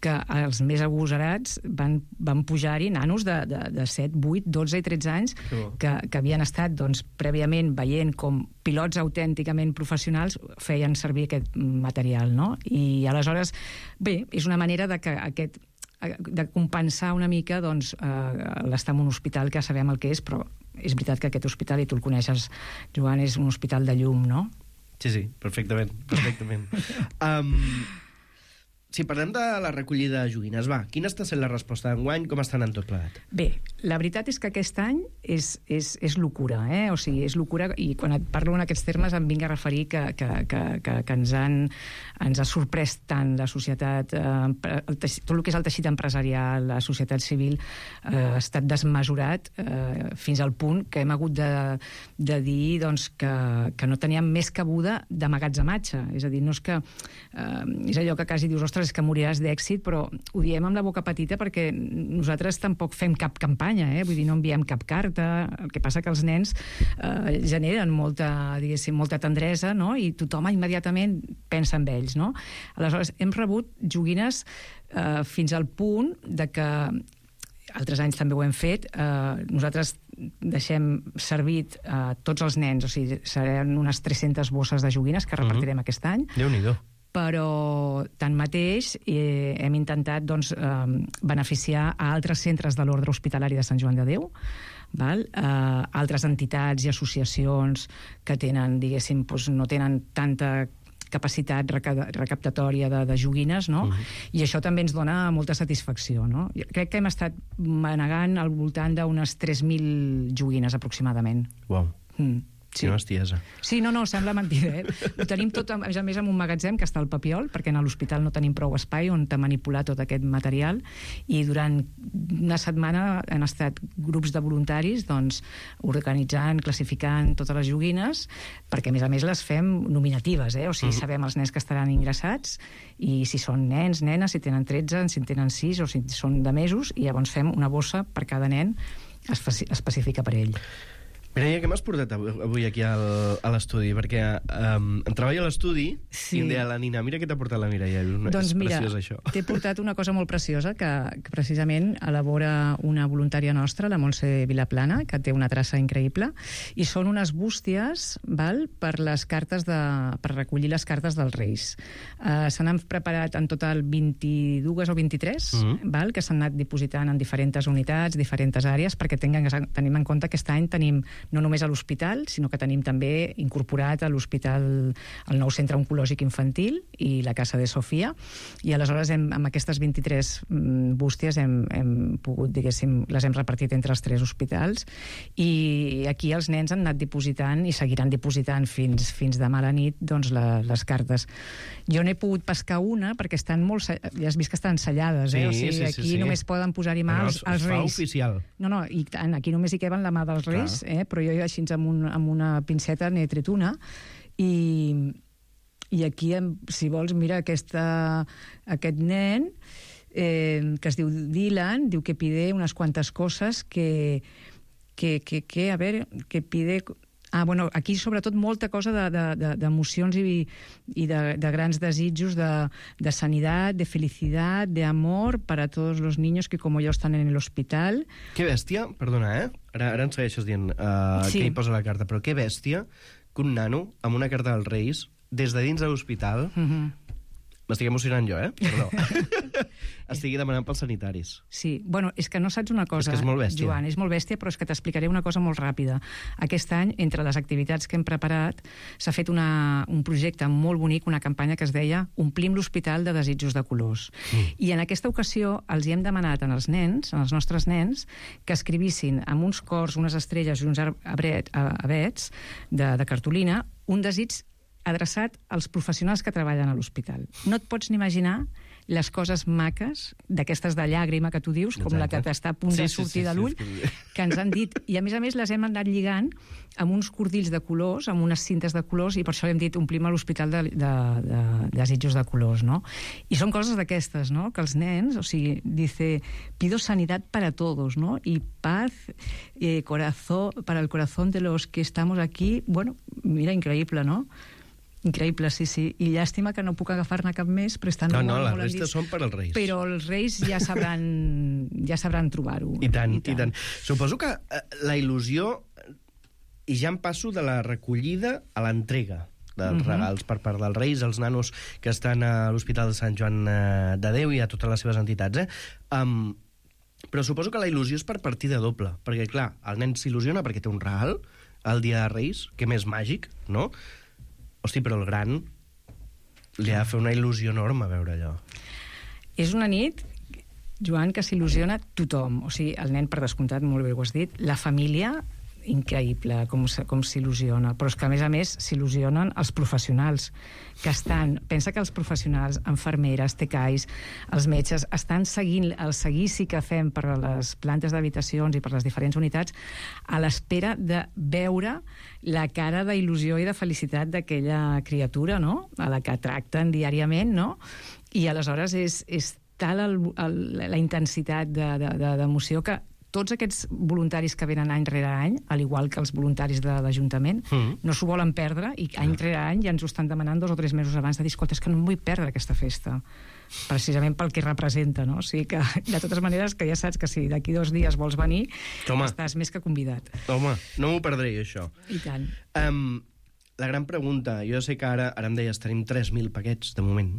que els més agosarats van, van pujar-hi nanos de, de, de set, vuit, dotze i tretze anys que, que havien estat doncs, prèviament veient com pilots autènticament professionals feien servir aquest material, no? I aleshores, bé, és una manera de que aquest de compensar una mica doncs, eh, l'estar en un hospital que sabem el que és, però és veritat que aquest hospital, i tu el coneixes, Joan, és un hospital de llum, no? Sí, sí, perfectament, perfectament. um, si parlem de la recollida de joguines, va, quina està sent la resposta d'enguany? Com estan en tot plegat? Bé, la veritat és que aquest any és, és, és locura, eh? O sigui, és locura, i quan et parlo en aquests termes em vinc a referir que, que, que, que, que ens, han, ens ha sorprès tant la societat, eh, el teixit, tot el que és el teixit empresarial, la societat civil, eh, ha estat desmesurat eh, fins al punt que hem hagut de, de dir doncs, que, que no teníem més cabuda d'amagatzematge. És a dir, no és que... Eh, és allò que quasi dius, ostres, ostres, és que moriràs d'èxit, però ho diem amb la boca petita perquè nosaltres tampoc fem cap campanya, eh? Vull dir, no enviem cap carta. El que passa que els nens eh, generen molta, diguéssim, molta tendresa, no? I tothom immediatament pensa en ells, no? Aleshores, hem rebut joguines eh, fins al punt de que altres anys també ho hem fet. Eh, nosaltres deixem servit a eh, tots els nens, o sigui, seran unes tres-centes bosses de joguines que repartirem uh-huh. aquest any. Déu-n'hi-do. Però, tanmateix, eh, hem intentat doncs, eh, beneficiar a altres centres de l'Ordre Hospitalari de Sant Joan de Déu, val? Eh, altres entitats i associacions que tenen, diguéssim, doncs, no tenen tanta capacitat recaptatòria de, de joguines, no? Uh-huh. I això també ens dona molta satisfacció, no? Jo crec que hem estat manegant al voltant d'unes tres mil joguines, aproximadament. Uau. Mm. Sí. Quina bestiesa. Sí, no, no, sembla mentida, eh? Ho tenim tot, a més a més, en un magatzem que està al Papiol, perquè a l'hospital no tenim prou espai on manipular tot aquest material, i durant una setmana han estat grups de voluntaris doncs, organitzant, classificant totes les joguines, perquè a més a més les fem nominatives, eh? O sigui, mm. sabem els nens que estaran ingressats, i si són nens, nenes, si tenen tretze, si en tenen sis, o si són de mesos, i llavors fem una bossa per cada nen específica per ell. Mireia, què m'has portat avui aquí al, a l'estudi? Perquè um, em treballo a l'estudi sí. i em deia la Nina, mira què t'ha portat la Mireia. Doncs és mira, preciós, això. T'he portat una cosa molt preciosa que, que precisament elabora una voluntària nostra, la Montse Vilaplana, que té una traça increïble, i són unes bústies, val, per les cartes de, per recollir les cartes dels Reis. Uh, se n'han preparat en total vint-i-dues o vint-i-tres, mm-hmm. val, que s'han anat dipositant en diferents unitats, diferents àrees, perquè tinguem, tenim en compte que aquest any tenim no només a l'hospital, sinó que tenim també incorporat a l'hospital el nou centre oncològic infantil i la Casa de Sofia, i aleshores hem, amb aquestes vint-i-tres bústies hem, hem pogut, diguéssim, les hem repartit entre els tres hospitals, i aquí els nens han anat dipositant i seguiran dipositant fins, fins demà a la nit doncs, la, les cartes. Jo n'he pogut pescar una perquè estan molt... Ja has vist que estan sellades, eh? Sí, o sigui, sí, aquí sí, sí. només poden posar-hi mà els, els Reis. Es fa Reis. oficial. No, no, i tant, aquí només hi queben la mà dels Reis, eh? Però jo així amb, un, amb una pinceta n'he tret una, i, i aquí, si vols, mira aquesta, aquest nen eh, que es diu Dylan, diu que pide unes quantes coses que, que, que, que a veure, que pide... Ah, bueno, aquí sobretot molta cosa d'emocions de, de, i, i de, de grans desitjos de, de sanitat, de felicitat, de amor para todos los niños que como yo están en el hospital. Que bèstia, perdona, eh? Ara, ara ens segueixes dient uh, sí. què hi posa la carta, però que bèstia que un nano amb una carta dels Reis, des de dins de l'hospital, mm-hmm. m'estic emocionant jo, eh? Perdó. Estigui demanant pels sanitaris. Sí, bueno, és que no saps una cosa, és que és molt bèstia. Joan, és molt bèstia, però és que t'explicaré una cosa molt ràpida. Aquest any, entre les activitats que hem preparat, s'ha fet una, un projecte molt bonic, una campanya que es deia Omplim l'hospital de desitjos de colors. Mm. I en aquesta ocasió els hi hem demanat als nens, als nostres nens, que escrivissin amb uns cors, unes estrelles i uns abret, abets de, de cartolina un desig adreçat als professionals que treballen a l'hospital. No et pots ni imaginar les coses maques, d'aquestes de llàgrima que tu dius, com Exacte. La que t'està a punt sí, de sortir sí, sí, de l'ull, sí, sí. que ens han dit, i a més a més les hem anat lligant amb uns cordills de colors, amb unes cintes de colors, i per això hem dit omplim a l'hospital de, de, de, de desitjos de colors, no? I són coses d'aquestes, no?, que els nens, o sigui, dice, pido sanidad para todos, no?, i paz, eh, corazón, para el corazón de los que estamos aquí, bueno, mira, increïble, no?, increïble, sí, sí. I llàstima que no puc agafar-ne cap més, però estan no, molt, no, molt la resta són per als Reis. Però els Reis ja sabran, ja sabran trobar-ho. I tant, i tant, i tant. Suposo que eh, la il·lusió, i ja em passo de la recollida a l'entrega dels uh-huh. regals per part dels Reis, els nanos que estan a l'Hospital de Sant Joan de Déu i a totes les seves entitats, eh? Um, però suposo que la il·lusió és per partida doble, perquè, clar, el nen s'il·lusiona perquè té un regal el dia de Reis, que més màgic, no?, hosti, però el gran li ha de fer una il·lusió enorme veure allò. És una nit, Joan, que s'il·lusiona tothom. O sigui, el nen, per descomptat, molt bé ho has dit, la família, increïble, com, com s'il·lusiona. Però és que, a més a més, s'il·lusionen els professionals que estan... Pensa que els professionals, infermeres, tecais, els metges, estan seguint el seguici que fem per a les plantes d'habitacions i per les diferents unitats a l'espera de veure la cara d'il·lusió i de felicitat d'aquella criatura, no?, a la que tracten diàriament, no?, I aleshores és, és tal el, el, la intensitat d'emoció de, de, que tots aquests voluntaris que venen any rere any, al igual que els voluntaris de l'Ajuntament, mm. no s'ho volen perdre i any rere any ja ens ho estan demanant dos o tres mesos abans de dir, escolta, és que no em vull perdre aquesta festa, precisament pel que representa, no? O sigui que, de totes maneres, que ja saps que si d'aquí dos dies vols venir, Home. estàs més que convidat. Home, no m'ho perdré, això. I tant. Um, la gran pregunta, jo sé que ara, ara em deies, tenim tres mil paquets, de moment,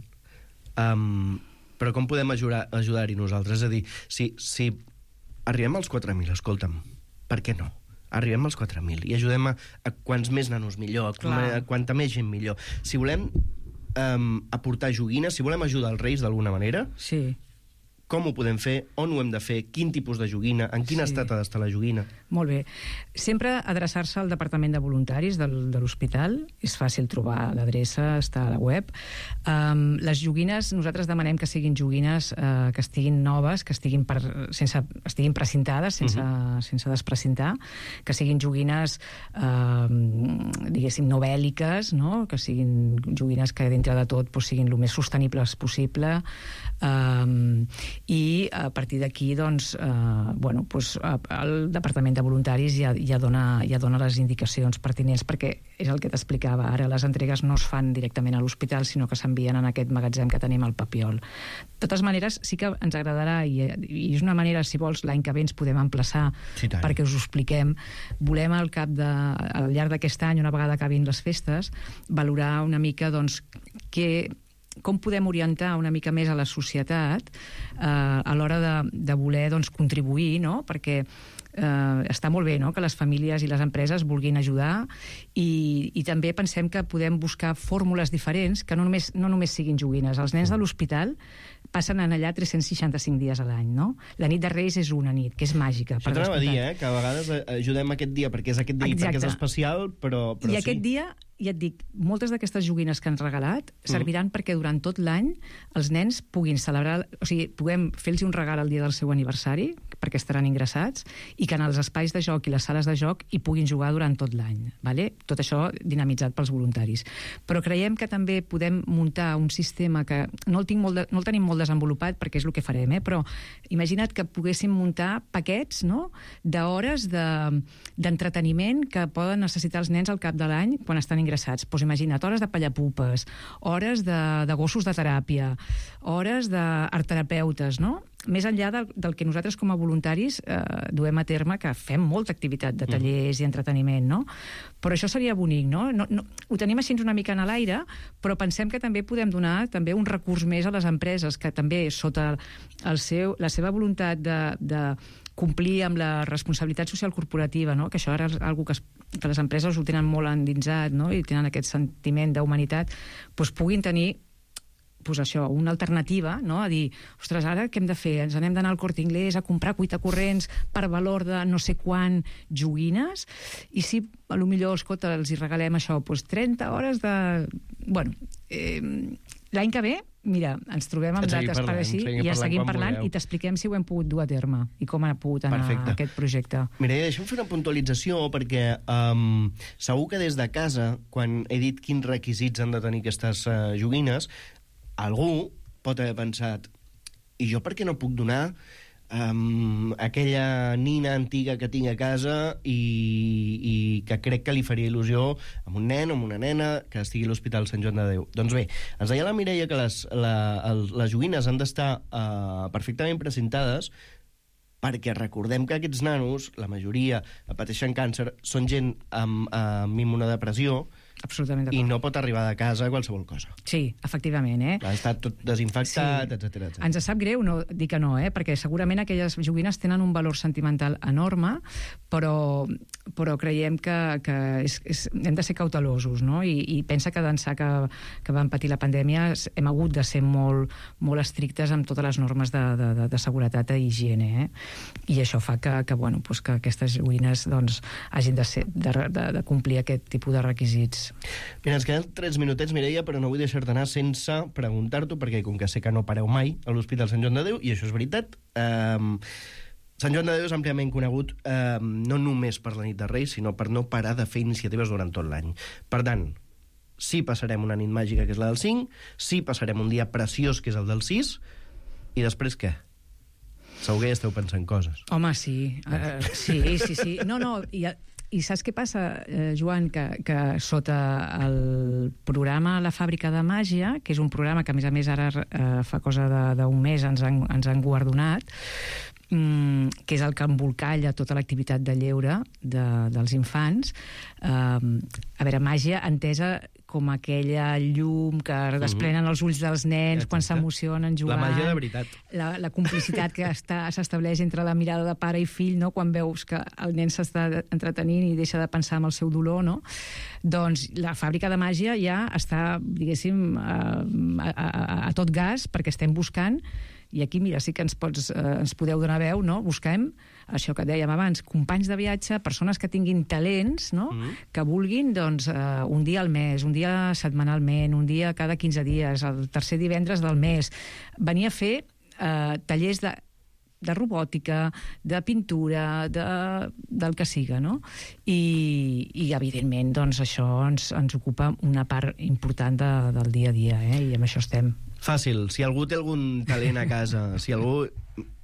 um, però com podem ajudar, ajudar-hi nosaltres? És a dir, si, si arribem als quatre mil, escolta'm, per què no? Arribem als quatre mil i ajudem a, a quants més nanos millor, a, a quanta més gent millor. Si volem um, aportar joguines, si volem ajudar els Reis d'alguna manera, sí. com ho podem fer, on ho hem de fer, quin tipus de joguina, en quin sí. estat ha d'estar la joguina. Molt bé. Sempre adreçar-se al Departament de Voluntaris del, de l'Hospital. És fàcil trobar l'adreça, està a la web. Um, les joguines, nosaltres demanem que siguin joguines uh, que estiguin noves, que estiguin, per, sense, estiguin precintades, sense, uh-huh. sense desprecintar, que siguin joguines, uh, diguéssim, no bèl·liques, no? Que siguin joguines que, dintre de tot, pues, siguin el més sostenibles possible. Um, i a partir d'aquí doncs, eh, bueno, doncs, el Departament de Voluntaris ja, ja, dona, ja dona les indicacions pertinents, perquè és el que t'explicava ara, les entregues no es fan directament a l'hospital, sinó que s'envien en aquest magatzem que tenim al Papiol. De totes maneres, sí que ens agradarà, i, i és una manera, si vols, l'any que ve ens podem emplaçar sí, perquè us ho expliquem. Volem al cap de, al llarg d'aquest any, una vegada acabin les festes, valorar una mica doncs, que com podem orientar una mica més a la societat eh, a l'hora de, de voler doncs, contribuir, no? Perquè eh, està molt bé, no?, que les famílies i les empreses vulguin ajudar i, i també pensem que podem buscar fórmules diferents que no només, no només siguin joguines. Els nens de l'hospital passen en allà tres-cents seixanta-cinc dies a l'any, no? La nit de Reis és una nit, que és màgica. Això t'anava a dir, eh?, que a vegades ajudem aquest dia perquè és aquest dia, Exacte. perquè és especial, però, però I sí. aquest dia, ja et dic, moltes d'aquestes joguines que han regalat serviran mm. perquè durant tot l'any els nens puguin celebrar, o sigui, puguem fer-los un regal el dia del seu aniversari, perquè estaran ingressats, i que en els espais de joc i les sales de joc hi puguin jugar durant tot l'any. Vale? Tot això dinamitzat pels voluntaris. Però creiem que també podem muntar un sistema que no el, tinc molt de, no el tenim molt desenvolupat perquè és el que farem, eh? Però imagina't que poguéssim muntar paquets, no?, d'hores de, d'entreteniment que poden necessitar els nens al cap de l'any quan estan ingressats. Pues imagina't, hores de pallapupes, hores de, de gossos de teràpia, hores d'artterapeutes, no? Més enllà del, del que nosaltres com a voluntaris eh, duem a terme, que fem molta activitat de tallers mm. i entreteniment, no? Però això seria bonic, no? No, no? Ho tenim així una mica en l'aire, però pensem que també podem donar també un recurs més a les empreses, que també sota el seu, la seva voluntat de, de complir amb la responsabilitat social corporativa, no?, que això ara és una cosa que, que les empreses ho tenen molt endinsat, no?, i tenen aquest sentiment d'humanitat, doncs puguin tenir pues això, una alternativa, no?, a dir, ostres, ara què hem de fer? Ens anem d'anar al Corte Inglés a comprar cuitacorrents per valor de no sé quant joguines? I si, a lo millor, escolta, els hi regalem això, pues trenta hores de... Bueno, eh, l'any que ve, mira, ens trobem amb dates parlant, per així i ja seguim parlant i t'expliquem si ho hem pogut dur a terme i com ha pogut anar Perfecte. Aquest projecte. Mira, deixa'm fer una puntualització perquè um, segur que des de casa, quan he dit quins requisits han de tenir aquestes uh, joguines, algú pot haver pensat, i jo per què no puc donar um, aquella nina antiga que tinc a casa i, i que crec que li faria il·lusió amb un nen o amb una nena que estigui a l'Hospital Sant Joan de Déu? Doncs bé, ens deia la Mireia que les, la, el, les joguines han d'estar uh, perfectament precintades perquè recordem que aquests nanos, la majoria pateixen càncer, són gent amb, amb immunodepressió, absolutament d'acord. I no pot arribar de casa a qualsevol cosa. Sí, efectivament, eh? Ha estat tot desinfectat, sí. etcètera, etcètera. Ens sap greu no dir que no, eh? Perquè segurament aquelles joguines tenen un valor sentimental enorme, però, però creiem que, que és, és, hem de ser cautelosos, no? I, i pensa que d'ençà que, que van patir la pandèmia hem hagut de ser molt, molt estrictes amb totes les normes de, de, de, de seguretat i higiene, eh? I això fa que, que, bueno, pues que aquestes joguines doncs, hagin de, ser, de, de, de complir aquest tipus de requisits. Mira, ens queden tres minutets, Mireia, però no vull deixar-te anar sense preguntar-t'ho, perquè com que sé que no pareu mai a l'Hospital Sant Joan de Déu, i això és veritat, eh, Sant Joan de Déu és àmpliament conegut eh, no només per la nit de Reis, sinó per no parar de fer iniciatives durant tot l'any. Per tant, sí passarem una nit màgica, que és la del cinc, sí passarem un dia preciós, que és el del sis, i després què? Segur que ja esteu pensant coses. Home, sí. Uh, sí, sí, sí. No, no, i, i saps què passa, eh, Joan? Que, que sota el programa La Fàbrica de Màgia, que és un programa que, a més a més, ara eh, fa cosa d'un mes ens han, ens han guardonat, mm, que és el que embolcalla tota l'activitat de lleure de, dels infants. Eh, a veure, màgia entesa com aquella llum que desprenen els ulls dels nens quan s'emocionen jugant. La màgia de veritat. La, la complicitat que s'estableix entre la mirada de pare i fill, no? Quan veus que el nen s'està entretenint i deixa de pensar en el seu dolor, no? Doncs la Fàbrica de Màgia ja està, diguéssim, a, a, a, a tot gas, perquè estem buscant, i aquí, mira, sí que ens, pots, eh, ens podeu donar veu, no? Busquem això que dèiem abans, companys de viatge, persones que tinguin talents, no? Mm. Que vulguin, doncs, eh, un dia al mes, un dia setmanalment, un dia cada quinze dies, el tercer divendres del mes, venir a fer eh, tallers de, de robòtica, de pintura, de, del que siga, no? I, i evidentment, doncs, això ens, ens ocupa una part important de, del dia a dia, eh? I amb això estem. Fàcil. Si algú té algun talent a casa, si algú...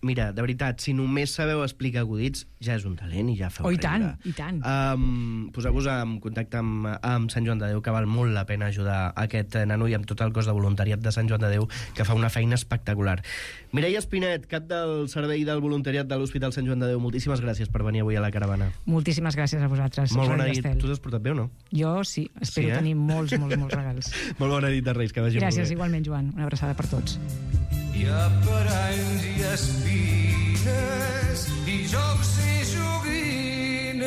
Mira, de veritat, si només sabeu explicar acudits, ja és un talent i ja feu oh, i riure. tant, i tant. Um, Poseu-vos en contacte amb, amb Sant Joan de Déu, que val molt la pena ajudar aquest nano, i amb tot el cos de voluntariat de Sant Joan de Déu, que fa una feina espectacular. Mireia Espinet, cap del servei del voluntariat de l'Hospital Sant Joan de Déu, moltíssimes gràcies per venir avui a la caravana. Moltíssimes gràcies a vosaltres. Molt bona nit. Tu t'has portat bé o no? Jo sí, espero sí, eh? tenir molts, molts, molts regals. Molt bona nit de Reis, que vagi gràcies, molt bé. igualment, Joan. Una abraçada per tots. Hi ha paranys i espines i jocs i joguines.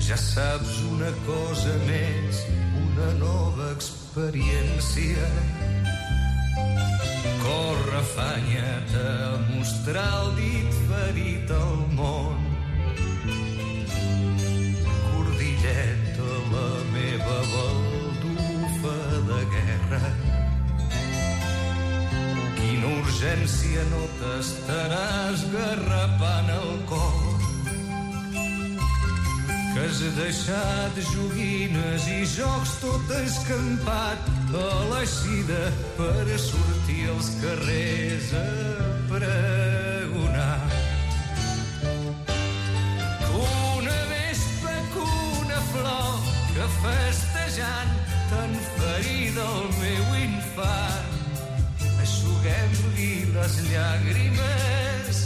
Ja saps una cosa més, una nova experiència. Corre, afanya't a mostrar el dit ferit al món. Cordilleta, la meva baldufa de guerra. Quina urgència, no t'estaràs garrapant el cor, que has deixat joguines i jocs tot escampat a l'eixida per sortir als carrers a pregonar. Que festejant tan ferida el meu infant, eixuguem-li les llàgrimes,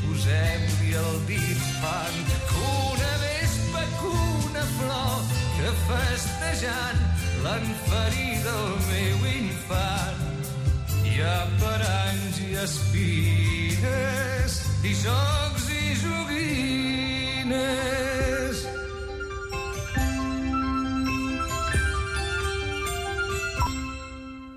posem-li el dit fan. Que una vespa, que una flor, que festejant l'han ferida el meu infant. Hi ha paranys i espines i jocs i joguines.